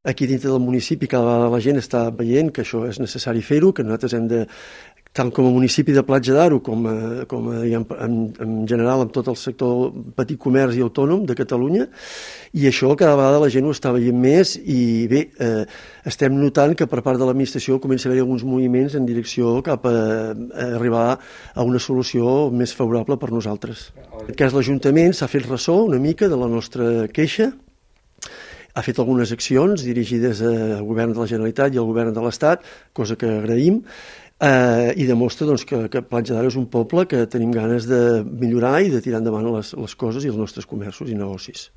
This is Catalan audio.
Aquí dintre del municipi cada vegada la gent està veient que això és necessari fer-ho, que nosaltres hem de, tant com a municipi de Platja d'Aro com en general amb tot el sector petit comerç i autònom de Catalunya, i això cada vegada la gent ho està veient més i bé, estem notant que per part de l'administració comença a haver alguns moviments en direcció cap a arribar a una solució més favorable per nosaltres. En aquest cas l'Ajuntament s'ha fet ressò una mica de la nostra queixa, ha fet algunes accions dirigides al govern de la Generalitat i al govern de l'Estat, cosa que agraïm, i demostra doncs, que Platja d'Aro és un poble que tenim ganes de millorar i de tirar endavant les coses i els nostres comerços i negocis.